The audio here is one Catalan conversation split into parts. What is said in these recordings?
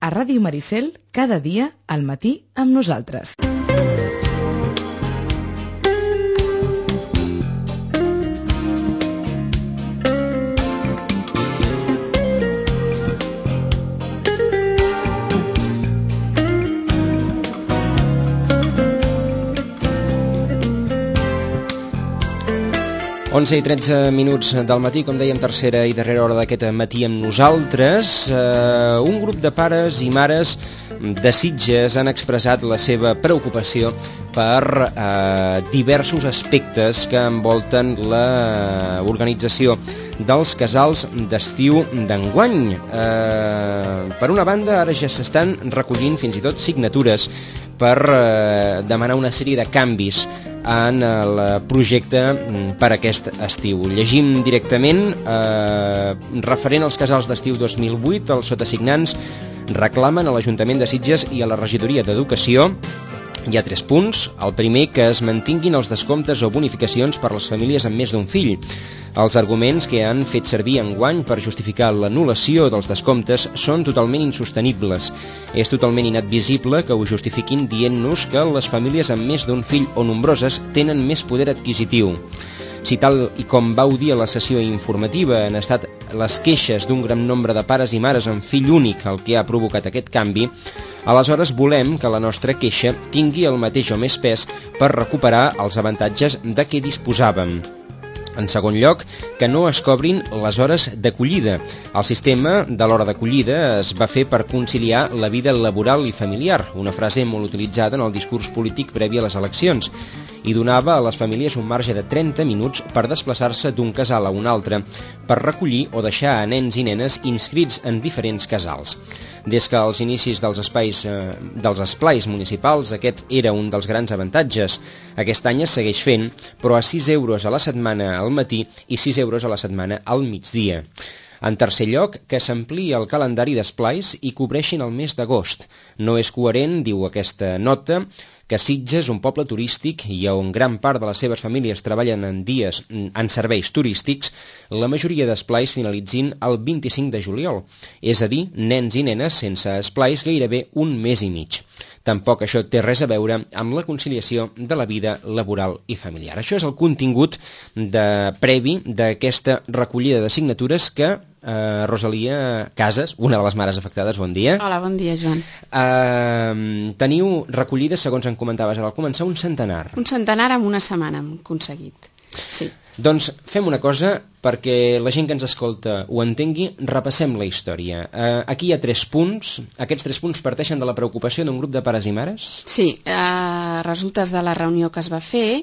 a Ràdio Maricel, cada dia al matí amb nosaltres. 11 i 13 minuts del matí, com dèiem, tercera i darrera hora d'aquest matí amb nosaltres. Un grup de pares i mares de Sitges han expressat la seva preocupació per diversos aspectes que envolten l'organització dels casals d'estiu d'enguany. Per una banda, ara ja s'estan recollint fins i tot signatures per demanar una sèrie de canvis en el projecte per aquest estiu. Llegim directament, referent als casals d'estiu 2008, els sotasignants reclamen a l'Ajuntament de Sitges i a la Regidoria d'Educació. Hi ha 3 punts. El primer, que es mantinguin els descomptes o bonificacions per a les famílies amb més d'un fill. Els arguments que han fet servir enguany per justificar l'anul·lació dels descomptes són totalment insostenibles. És totalment inadmissible que ho justifiquin dient-nos que les famílies amb més d'un fill o nombroses tenen més poder adquisitiu. Si tal i com vau dir a la sessió informativa han estat les queixes d'un gran nombre de pares i mares amb fill únic el que ha provocat aquest canvi, aleshores volem que la nostra queixa tingui el mateix o més pes per recuperar els avantatges de què disposàvem. En segon lloc, que no es cobrin les hores d'acollida. El sistema de l'hora d'acollida es va fer per conciliar la vida laboral i familiar, una frase molt utilitzada en el discurs polític previ a les eleccions, i donava a les famílies un marge de 30 minuts per desplaçar-se d'un casal a un altre, per recollir o deixar a nens i nenes inscrits en diferents casals. Des que als inicis dels esplais municipals aquest era un dels grans avantatges. Aquest any es segueix fent, però a 6 euros a la setmana al matí i 6 euros a la setmana al migdia. En tercer lloc, que s'ampliï el calendari d'esplais i cobreixin el mes d'agost. No és coherent, diu aquesta nota, que Sitges, un poble turístic i on gran part de les seves famílies treballen en serveis turístics, la majoria d'esplais finalitzin el 25 de juliol, és a dir, nens i nenes sense esplais gairebé un mes i mig. Tampoc això té res a veure amb la conciliació de la vida laboral i familiar. Això és el contingut previ d'aquesta recollida de signatures que Rosalia Casas, una de les mares afectades, bon dia. Hola, bon dia, Joan. Teniu recollides, segons em comentaves al començar, un centenar. Un centenar en una setmana hem aconseguit, sí. Doncs fem una cosa perquè la gent que ens escolta ho entengui, repassem la història. Aquí hi ha 3 punts. Aquests 3 punts parteixen de la preocupació d'un grup de pares i mares? Sí, resultes de la reunió que es va fer,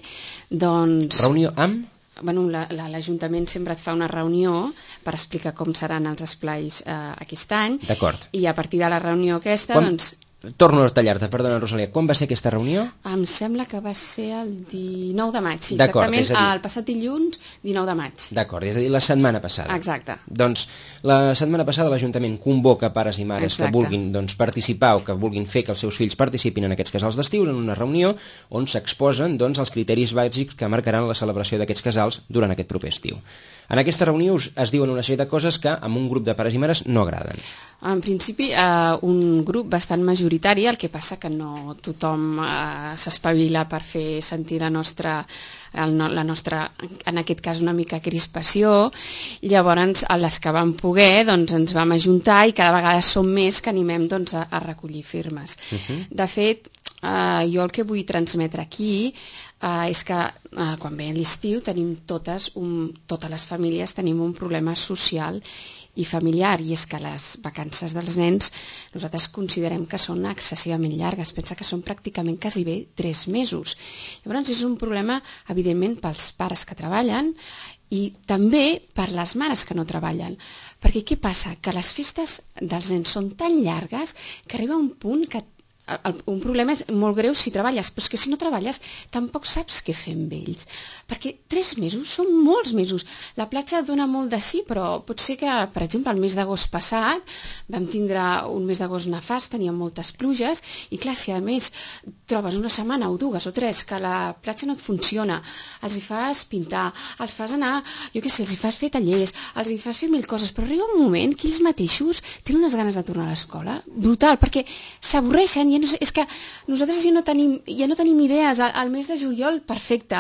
doncs... Reunió amb? Bueno, l'Ajuntament sempre et fa una reunió per explicar com seran els esplais aquest any. D'acord. I a partir de la reunió aquesta, doncs... Torno a tallar-te, perdona, Rosalia. Quan va ser aquesta reunió? Em sembla que va ser el 19 de maig, sí, exactament, el passat dilluns, 19 de maig. D'acord, és a dir, la setmana passada. Exacte. Doncs la setmana passada l'Ajuntament convoca pares i mares que vulguin participar o que vulguin fer que els seus fills participin en aquests casals d'estiu en una reunió on s'exposen els criteris bàsics que marcaran la celebració d'aquests casals durant aquest proper estiu. En aquesta reunió es diuen una sèrie de coses que amb un grup de pares i mares no agraden. En principi, un grup bastant majoritari, el que passa que no tothom s'espavila per fer sentir la nostra, en aquest cas, una mica crispació. Llavors, a les que vam poder, doncs, ens vam ajuntar i cada vegada som més que animem a recollir firmes. De fet, jo el que vull transmetre aquí és que quan ve l'estiu tenim totes les famílies tenim un problema social i familiar, i és que les vacances dels nens nosaltres considerem que són excessivament llargues. Pensa que són pràcticament quasi bé 3 mesos. Llavors és un problema, evidentment, pels pares que treballen i també per les mares que no treballen. Perquè què passa? Que les festes dels nens són tan llargues que arriba un punt que un problema és molt greu si treballes, però és que si no treballes tampoc saps què fer amb ells, perquè 3 mesos són molts mesos. La platja dona molt de sí, però pot ser que, per exemple, el mes d'agost passat vam tindre un mes d'agost nefast, teníem moltes pluges, i clar, si a més trobes una setmana o 2 o 3 que la platja no et funciona, els hi fas pintar, els fas anar, jo què sé, els hi fas fer tallers, els hi fas fer 1000 coses, però arriba un moment que ells mateixos tenen unes ganes de tornar a l'escola, brutal, perquè s'avorreixen. És que nosaltres ja no tenim idees. Al mes de juliol, perfecte,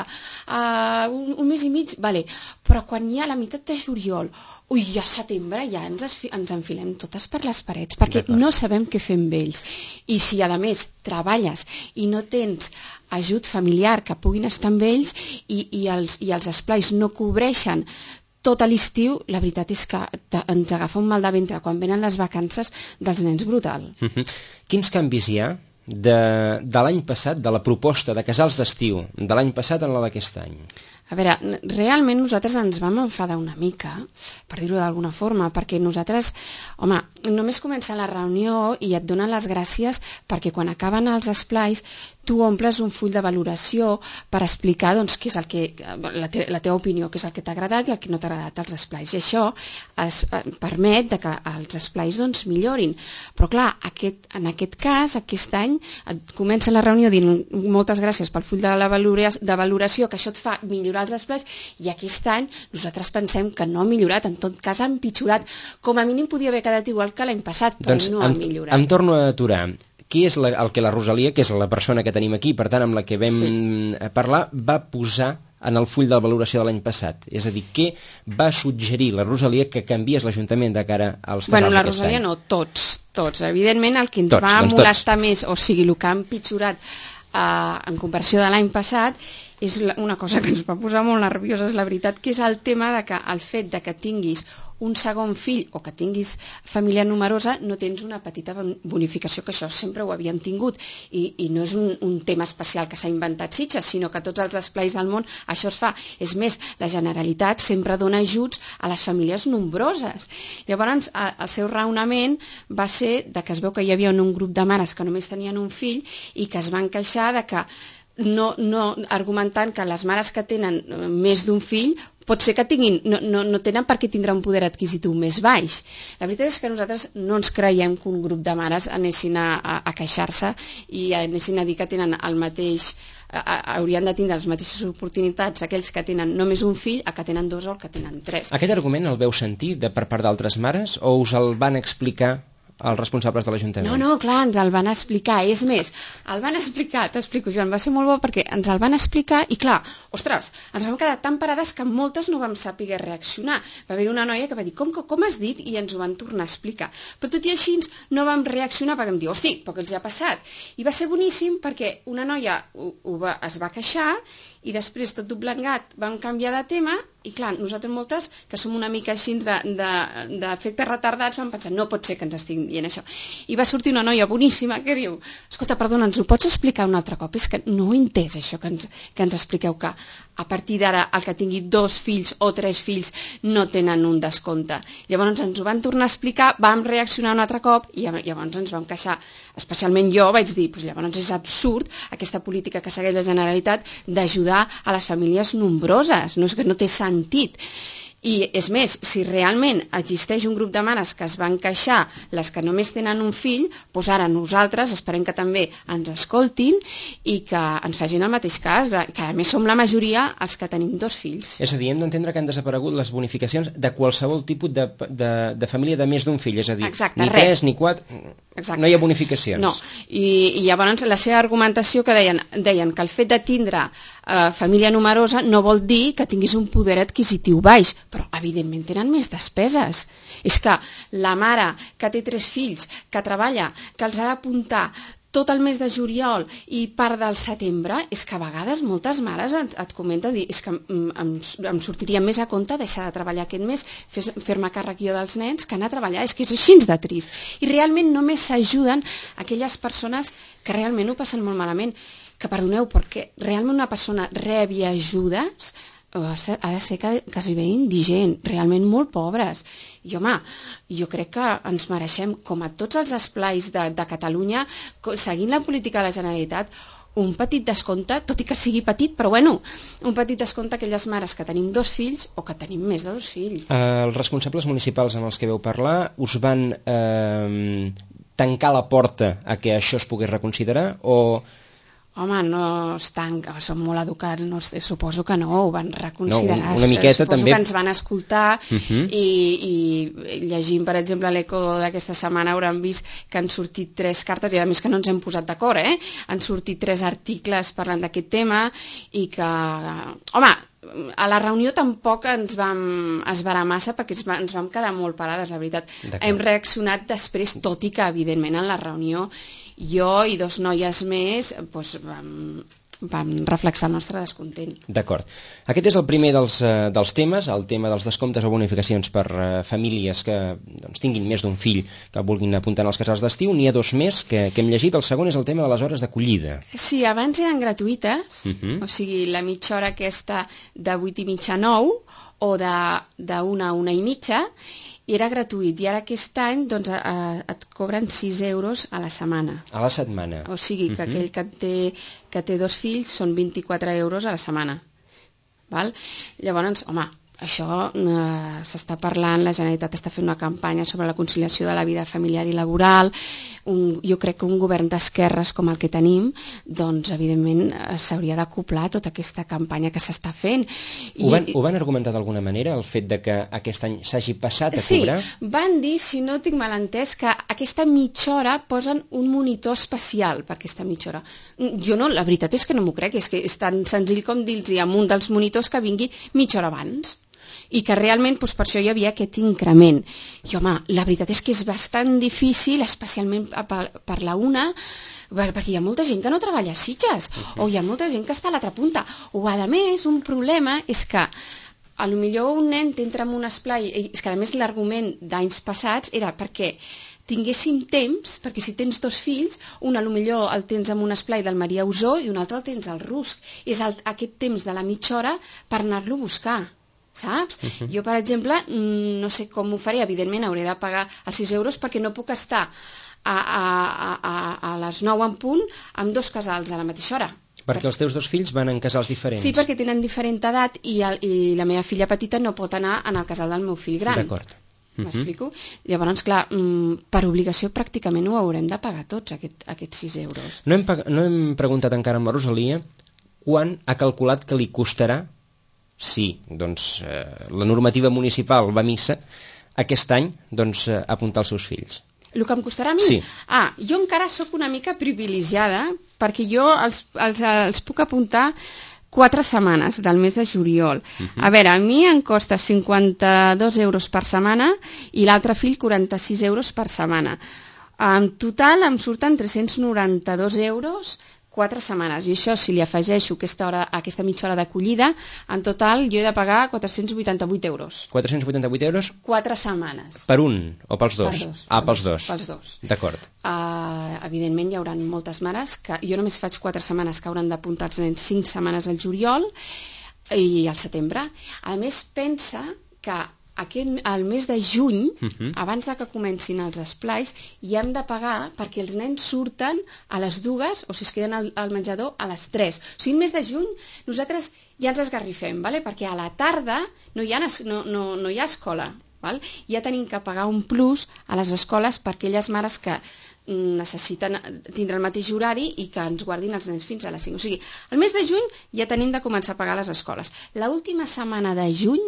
un mes i mig, vale, però quan hi ha la meitat de juliol, ja setembre, ja ens enfilem totes per les parets, perquè no sabem què fer amb ells. I si a més treballes i no tens ajut familiar que puguin estar amb ells i els esplais no cobreixen tot l'estiu, la veritat és que ens agafa un mal de ventre quan venen les vacances dels nens, brutal. Quins canvis hi ha de l'any passat, de la proposta de casals d'estiu de l'any passat en la d'aquest any? A veure, realment nosaltres ens vam enfadar una mica, per dir-ho d'alguna forma, perquè nosaltres, home, només comença la reunió i et donen les gràcies perquè quan acaben els esplais tu omples un full de valoració per explicar doncs, què és el que, la teva opinió, què és el que t'ha agradat i el que no t'ha agradat als esplais. I això permet que els esplais doncs, millorin. Però clar, en aquest cas, aquest any, comença la reunió dient moltes gràcies pel full de valoració, que això et fa millorar els esplais, i aquest any nosaltres pensem que no ha millorat, en tot cas ha empitjorat. Com a mínim podia haver quedat igual que l'any passat, però doncs no ha millorat. Em torno a aturar. Qui és el que la Rosalia, que és la persona que tenim aquí, per tant amb la que vam parlar, va posar en el full de valoració de l'any passat? És a dir, què va suggerir la Rosalia que canviés l'Ajuntament de cara als casals d'aquest any? La Rosalia no, tots. Evidentment el que ens va molestar més, o sigui, el que ha empitjorat en comparació de l'any passat, és una cosa que ens va posar molt nervioses, la veritat, que és el tema de que el fet de que tinguis un segon fill o que tinguis família numerosa no tens una petita bonificació, que això sempre ho havíem tingut, i no és un tema especial que s'ha inventat Sitges, sinó que tots els esplais del món això es fa. És més, la Generalitat sempre dona ajuts a les famílies nombroses. Llavors el seu raonament va ser de que es veu que hi havia un grup de mares que només tenien un fill i que es van queixar de que no argumentant que les mares que tenen més d'un fill pot ser que no tenen per què tindre un poder adquisitiu més baix. La veritat és que nosaltres no ens creiem que un grup de mares anessin a queixar-se i anessin a dir que tenen el mateix, haurien de tindre les mateixes oportunitats aquells que tenen només un fill a que tenen 2 o que tenen 3. Aquest argument el veu sentir per part d'altres mares o us el van explicar els responsables de l'Ajuntament? No, clar, ens el van explicar. És més, el van explicar, t'explico, Joan, va ser molt bo perquè ens el van explicar i clar, ostres, ens vam quedar tan parades que moltes no vam saber reaccionar. Va haver una noia que va dir, com has dit? I ens ho van tornar a explicar. Però tot i així no vam reaccionar perquè vam dir, hosti, però què els ha passat? I va ser boníssim perquè una noia es va queixar i després, tot doblegat, vam canviar de tema i clar, nosaltres moltes, que som una mica així d'efectes retardats, vam pensar, no pot ser que ens estiguin dient això. I va sortir una noia boníssima que diu, escolta, perdona, ens ho pots explicar un altre cop? És que no ho he entès, això que ens expliqueu, que a partir d'ara el que tingui 2 fills o 3 fills no tenen un descompte. Llavors ens ho van tornar a explicar, vam reaccionar un altre cop i llavors ens vam queixar. Especialment jo vaig dir, llavors és absurd aquesta política que segueix la Generalitat d'ajudar a les famílies nombroses, no és que no té sentit. I és més, si realment existeix un grup de mares que es van queixar, les que només tenen un fill, doncs ara nosaltres esperem que també ens escoltin i que ens facin el mateix cas, que a més som la majoria els que tenim 2 fills. És a dir, hem d'entendre que han desaparegut les bonificacions de qualsevol tipus de família de més d'un fill, és a dir, ni 3 ni 4... Exacte. No hi ha bonificacions. No, i llavors la seva argumentació que deien que el fet de tindre família numerosa no vol dir que tinguis un poder adquisitiu baix, però evidentment tenen més despeses. És que la mare que té 3 fills, que treballa, que els ha d'apuntar tot el mes de juliol i part del setembre, és que a vegades moltes mares et comenten, és que em sortiria més a compte deixar de treballar aquest mes, fer-me càrrec jo dels nens, que anar a treballar, és que és així de trist. I realment només s'ajuden aquelles persones que realment ho passen molt malament, que perdoneu, perquè realment una persona rebi ajudes ha de ser quasi bé indigent, realment molt pobres. I home, jo crec que ens mereixem, com a tots els esplais de Catalunya, seguint la política de la Generalitat, un petit descompte, tot i que sigui petit, però bueno, un petit descompte a aquelles mares que tenim 2 fills o que tenim més de 2 fills. Els responsables municipals amb els que veu parlar us van tancar la porta a que això es pogués reconsiderar o... Home, no es tanca, són molt educats, no, suposo que no, ho van reconsiderar. No, una miqueta suposo també... que ens van escoltar i llegint, per exemple, l'Eco d'aquesta setmana hauran vist que han sortit 3 cartes, i a més que no ens hem posat d'acord, han sortit 3 articles parlant d'aquest tema i que, home, a la reunió tampoc ens vam esverar massa perquè ens vam quedar molt parades, la veritat. Hem reaccionat després, tot i que, evidentment, en la reunió jo i 2 noies més doncs, vam reflexar el nostre descontent. D'acord. Aquest és el primer dels temes, el tema dels descomptes o bonificacions per famílies que tinguin més d'un fill que vulguin apuntar als casals d'estiu. N'hi ha 2 més que hem llegit. El segon és el tema de les hores d'acollida. Sí, abans eren gratuïtes, o sigui, la mitja hora aquesta de 8:30 a 9 o de 1 a 1:30, i era gratuït, i ara aquest any doncs, et cobren 6 euros a la setmana. A la setmana. O sigui que aquell que té 2 fills són 24 euros a la setmana. Val? Llavors, home, això s'està parlant, la Generalitat està fent una campanya sobre la conciliació de la vida familiar i laboral. Jo crec que un govern d'esquerres com el que tenim, doncs evidentment s'hauria d'acoplar tota aquesta campanya que s'està fent. Ho van argumentar d'alguna manera, el fet de que aquest any s'hagi passat a cobrar? Sí, van dir, si no tinc mal entès, que aquesta mitja hora posen un monitor especial per aquesta mitja hora. Jo no, la veritat és que no m'ho crec, és que és tan senzill com dir-los a un dels monitors que vingui mitja hora abans, i que realment doncs, per això hi havia aquest increment. I home, la veritat és que és bastant difícil, especialment per la una, perquè hi ha molta gent que no treballa a Sitges, o hi ha molta gent que està a l'altra punta, o a més un problema és que a lo millor un nen t'entra en un esplai, és que a més l'argument d'anys passats era perquè tinguéssim temps, perquè si tens 2 fills, un a lo millor el tens en un esplai del Maria Usó i un altre el tens al Rusc. És aquest temps de la mitja hora per anar-lo a buscar, saps? Jo, per exemple, no sé com ho faré, evidentment hauré de pagar els 6 euros perquè no puc estar a les 9 en punt amb 2 casals a la mateixa hora. Perquè els teus 2 fills van en casals diferents. Sí, perquè tenen diferent edat i la meva filla petita no pot anar en el casal del meu fill gran. D'acord. M'explico? Llavors, clar, per obligació pràcticament ho haurem de pagar tots, aquests 6 euros. No hem preguntat encara amb la Rosalia quan ha calculat que li costarà, si doncs, la normativa municipal va a missa, aquest any doncs, apuntar els seus fills. El que em costarà a mi? Sí. Jo encara sóc una mica privilegiada perquè jo els puc apuntar 4 setmanes del mes de juliol. A veure, a mi em costa 52 euros per setmana i l'altre fill 46 euros per setmana. En total em surten 392 euros 4 setmanes, i això si li afegeixo aquesta mitja hora d'acollida, en total jo he de pagar 488 euros. 488 euros? 4 setmanes. Per un o pels 2? Per 2. Pels 2. Pels 2. D'acord. Evidentment hi haurà moltes mares que jo només faig 4 setmanes que hauran d'apuntar els nens 5 setmanes al juliol i al setembre. A més, pensa que al mes de juny, abans de que comencin els esplais, hi hem de pagar perquè els nens surten a les 2 o si es queden al menjador a les 3. O sigui, al mes de juny nosaltres ja ens esgarrifem, perquè a la tarda no hi ha escola. Ja tenim que pagar un plus a les escoles per aquelles mares que necessiten tindre el mateix horari i que ens guardin els nens fins a les 5. O sigui, el mes de juny ja tenim de començar a pagar les escoles. L'última setmana de juny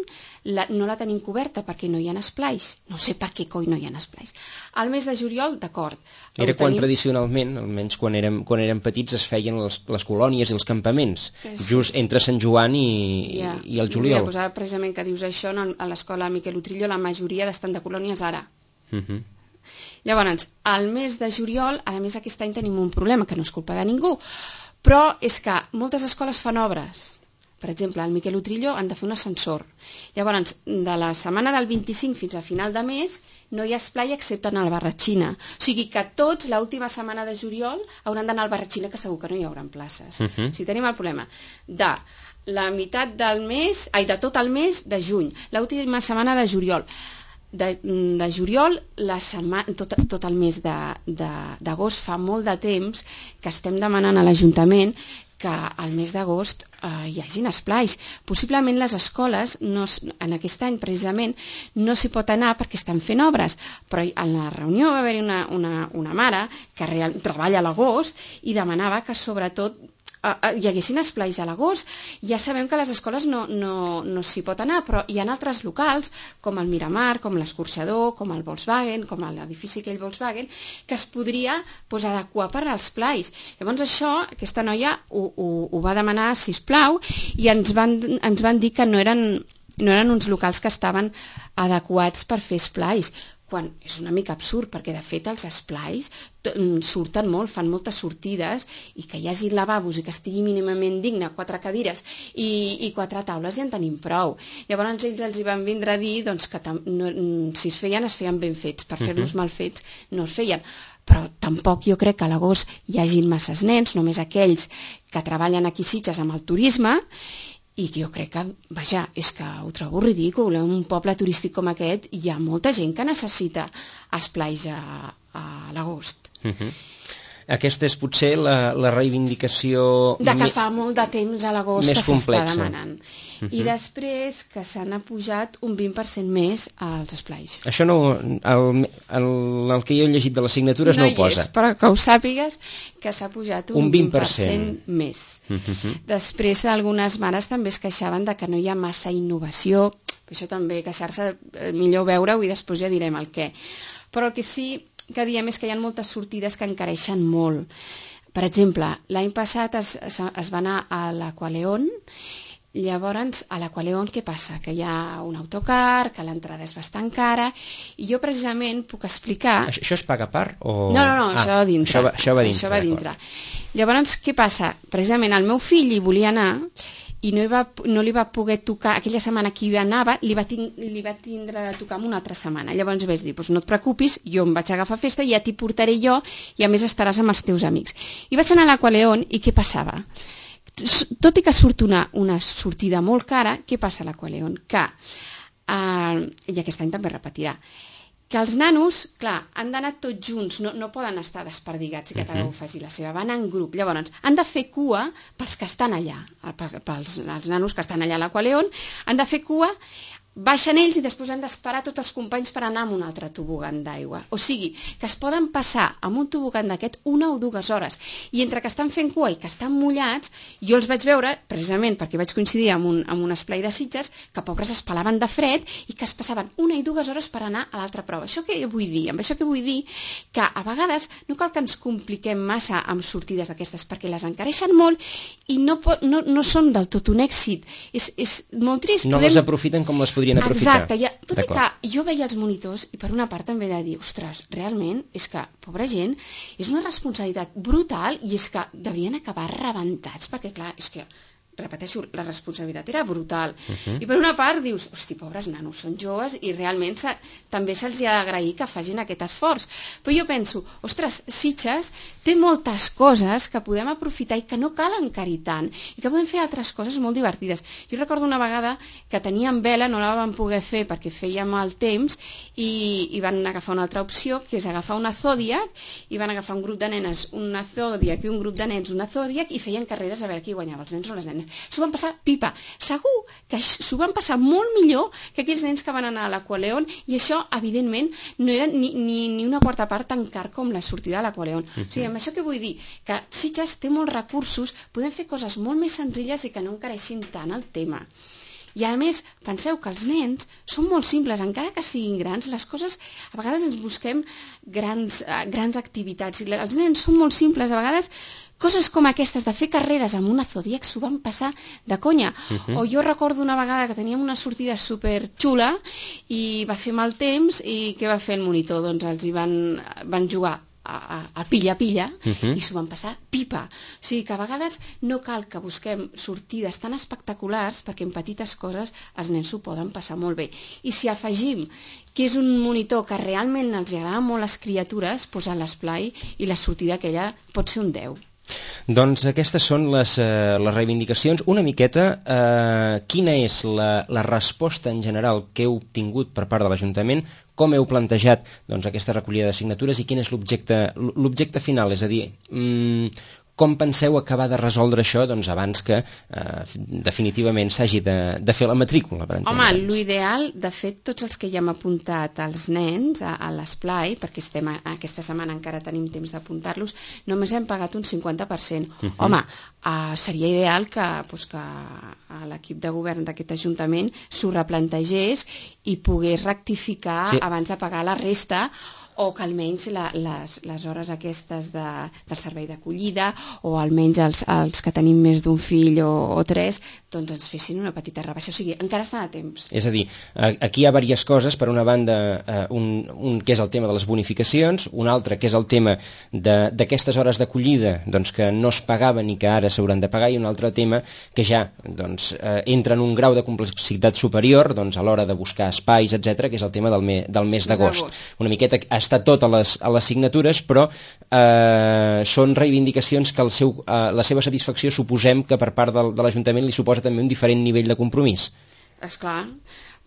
no la tenim coberta perquè no hi ha esplais. No sé per què coi no hi ha esplais. Al mes de juliol, d'acord. Era quan tradicionalment, almenys quan érem petits, es feien les colònies i els campaments, just entre Sant Joan i el juliol. Ara, precisament que dius això, a l'escola Miquel Utrillo la majoria estan de colònies ara. Llavors, al mes de juliol, a més aquest any tenim un problema, que no és culpa de ningú, però és que moltes escoles fan obres. Per exemple, al Miquel Utrillo han de fer un ascensor. Llavors, de la setmana del 25 fins a final de mes, no hi ha esplai excepte anar al Barratxina. O sigui que tots, l'última setmana de juliol, hauran d'anar al Barratxina, que segur que no hi haurà places. O sigui, tenim el problema de la meitat del mes, de tot el mes de juny, l'última setmana de juliol. De juliol, tot el mes d'agost, fa molt de temps que estem demanant a l'Ajuntament que al mes d'agost hi hagin esplais. Possiblement les escoles, en aquest any precisament, no s'hi pot anar perquè estan fent obres, però en la reunió va haver-hi una mare que treballa a l'agost i demanava que sobretot hi haguessin esplais a l'agost. Ja sabem que a les escoles no s'hi pot anar, però hi ha altres locals, com el Miramar, com l'Escorxador, com el Volkswagen, com l'edifici aquell Volkswagen, que es podria adequar per als esplais. Llavors aquesta noia ho va demanar, sisplau, i ens van dir que no eren uns locals que estaven adequats per fer esplais, quan és una mica absurd, perquè de fet els esplais surten molt, fan moltes sortides, i que hi hagi lavabos i que estigui mínimament digne, 4 cadires i 4 taules, ja en tenim prou. Llavors ells els hi van vindre a dir que si es feien ben fets, per fer-los mal fets no es feien. Però tampoc jo crec que a l'agost hi hagin masses nens, només aquells que treballen aquí a Sitges amb el turisme, i jo crec que, és que ho trobo ridícul. En un poble turístic com aquest hi ha molta gent que necessita esplais a l'agost. Aquesta és potser la reivindicació que fa molt de temps a l'agost que s'està demanant. I després que s'han apujat un 20% més als esplais. Això el que jo he llegit de les signatures no ho posa. No hi és, però que ho sàpigues que s'ha pujat un 20% més. Després algunes mares també es queixaven de que no hi ha massa innovació. Això també, queixar-se, millor veure-ho i després ja direm el què. Però el que sí que diem és que hi ha moltes sortides que encareixen molt. Per exemple, l'any passat es va anar a l'Aqualeon. Llavors, a l'Aqualeon què passa? Que hi ha un autocar, que l'entrada és bastant cara, i jo precisament puc explicar... Això es paga a part? O... No, això va dintre. Això va dintre. Llavors, què passa? Precisament el meu fill hi volia anar i no li va poder tocar, aquella setmana que hi anava, li va tindre de tocar en una altra setmana. Llavors vaig dir, no et preocupis, jo em vaig agafar festa, ja t'hi portaré jo, i a més estaràs amb els teus amics. I vaig anar a l'Aqualeon, i què passava? Tot i que surt una sortida molt cara, què passa a l'Aqualeon? Que, i aquest any també repetirà, que els nanos, clar, han d'anar tots junts, no poden estar desperdigats i que cada un faci la seva, van en grup. Llavors, han de fer cua pels que estan allà, pels nanos que estan allà a l'Aqualeon, han de fer cua, baixen ells i després han d'esperar tots els companys per anar amb un altre tobogan d'aigua. O sigui, que es poden passar amb un tobogan d'aquest 1 o 2 hores. I entre que estan fent cua i que estan mullats, jo els vaig veure, precisament perquè vaig coincidir amb un esplai de Sitges, que pobres es pelaven de fred i que es passaven 1 i 2 hores per anar a l'altra prova. Això què vull dir? Amb això què vull dir? Que a vegades no cal que ens compliquem massa amb sortides d'aquestes, perquè les encareixen molt i no són del tot un èxit. És molt trist. No les aprofiten com les podrien aprofitar. Exacte, tot i que jo veia els monitors i per una part també he de dir, ostres, realment és que, pobra gent, és una responsabilitat brutal i és que deurien acabar rebentats perquè, clar, és que, repeteixo, la responsabilitat era brutal. I per una part dius, hosti, pobres nanos, són joves i realment també se'ls ha d'agrair que facin aquest esforç. Però jo penso, ostres, Sitges té moltes coses que podem aprofitar i que no cal encarir tant i que podem fer altres coses molt divertides. Jo recordo una vegada que teníem vela, no la vam poder fer perquè fèiem mal temps i van agafar una altra opció, que és agafar una Zodiac, i van agafar un grup de nenes una Zodiac i un grup de nens una Zodiac i feien carreres a veure qui guanyava, els nens o les nenes. S'ho van passar pipa. Segur que s'ho van passar molt millor que aquells nens que van anar a l'Aqualeon, i això, evidentment, no era ni una quarta part tan car com la sortida de l'Aqualeon. O sigui, amb això què vull dir? Que Sitges té molts recursos, podem fer coses molt més senzilles i que no encareixin tant el tema. I a més, penseu que els nens són molt simples, encara que siguin grans, les coses, a vegades ens busquem grans activitats, i els nens són molt simples, a vegades coses com aquestes de fer carreres amb una Zodiac s'ho van passar de conya. O jo recordo una vegada que teníem una sortida superxula i va fer mal temps, i què va fer el monitor? Doncs els hi van jugar a pilla i s'ho van passar pipa. O sigui que a vegades no cal que busquem sortides tan espectaculars perquè en petites coses els nens s'ho poden passar molt bé. I si afegim que és un monitor que realment els agrada molt a les criatures, doncs a l'esplai i la sortida aquella pot ser un 10. Doncs aquestes són les reivindicacions. Una miqueta, quina és la resposta en general que heu obtingut per part de l'Ajuntament, com heu plantejat doncs, aquesta recollida de signatures i quin és l'objecte final, és a dir, com penseu acabar de resoldre això doncs, abans que definitivament s'hagi de fer la matrícula? Home, l'ideal, de fet, tots els que ja hem apuntat els nens a l'esplai, perquè aquesta setmana encara tenim temps d'apuntar-los, només hem pagat un 50%. Home, seria ideal que l'equip de govern d'aquest Ajuntament s'ho replantegés i pogués rectificar abans de pagar la resta, o que almenys les hores aquestes del servei d'acollida o almenys els que tenim més d'un fill o tres, doncs ens fessin una petita rebaixa. O sigui, encara estan a temps. És a dir, aquí hi ha diverses coses. Per una banda, un que és el tema de les bonificacions, un altre que és el tema d'aquestes hores d'acollida doncs, que no es pagaven i que ara s'hauran de pagar, i un altre tema que ja doncs, entra en un grau de complexitat superior doncs, a l'hora de buscar espais, etc, que és el tema del mes d'agost. Una miqueta està tot a les signatures, però són reivindicacions que la seva satisfacció suposem que per part de l'Ajuntament li suposa també un diferent nivell de compromís. Esclar,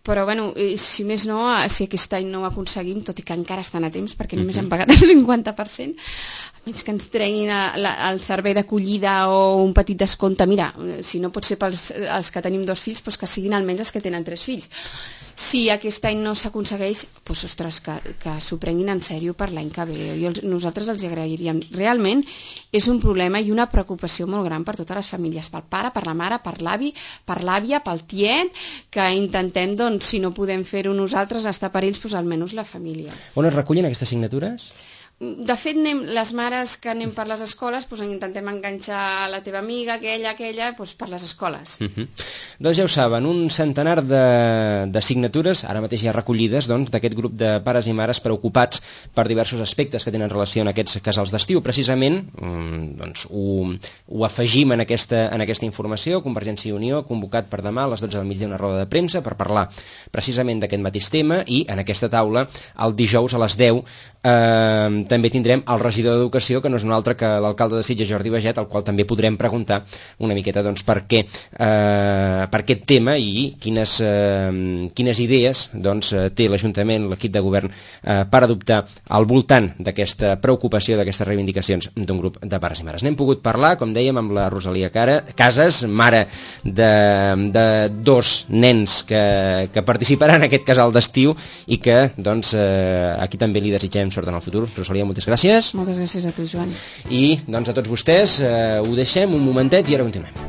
però bueno, si més no, si aquest any no ho aconseguim, tot i que encara estan a temps perquè només hem pagat el 50%, almenys que ens treguin el servei d'acollida o un petit descompte. Mira, si no pot ser pels que tenim 2 fills, doncs que siguin almenys els que tenen 3 fills. Si aquest any no s'aconsegueix, doncs, ostres, que s'ho prenguin en sèrio per l'any que ve. Nosaltres els agrairíem. Realment és un problema i una preocupació molt gran per totes les famílies, pel pare, per la mare, per l'avi, per l'àvia, pel tiet, que intentem, doncs, si no podem fer-ho nosaltres, estar per ells, doncs almenys la família. On es recullen aquestes signatures? De fet, les mares que anem per les escoles doncs intentem enganxar la teva amiga, aquella, doncs per les escoles. Doncs ja ho saben, un centenar de signatures, ara mateix ja recollides, doncs, d'aquest grup de pares i mares preocupats per diversos aspectes que tenen relació en aquests casals d'estiu. Precisament doncs, ho afegim en aquesta informació. Convergència i Unió ha convocat per demà a les 12 del migdia una roda de premsa per parlar precisament d'aquest mateix tema, i en aquesta taula el dijous a les 10 també tindrem el regidor d'Educació, que no és un altre que l'alcalde de Sitges, Jordi Baget, al qual també podrem preguntar una miqueta doncs, per aquest tema i quines idees doncs, té l'Ajuntament, l'equip de govern, per adoptar al voltant d'aquesta preocupació, d'aquestes reivindicacions d'un grup de pares i mares. N'hem pogut parlar, com dèiem, amb la Rosalia Casas, mare de 2 nens que participaran en aquest casal d'estiu i que doncs, aquí també li desitgem sort en el futur. Rosalia, moltes gràcies. Moltes gràcies a tu, Joan. I doncs a tots vostès ho deixem un momentet i ara continuem.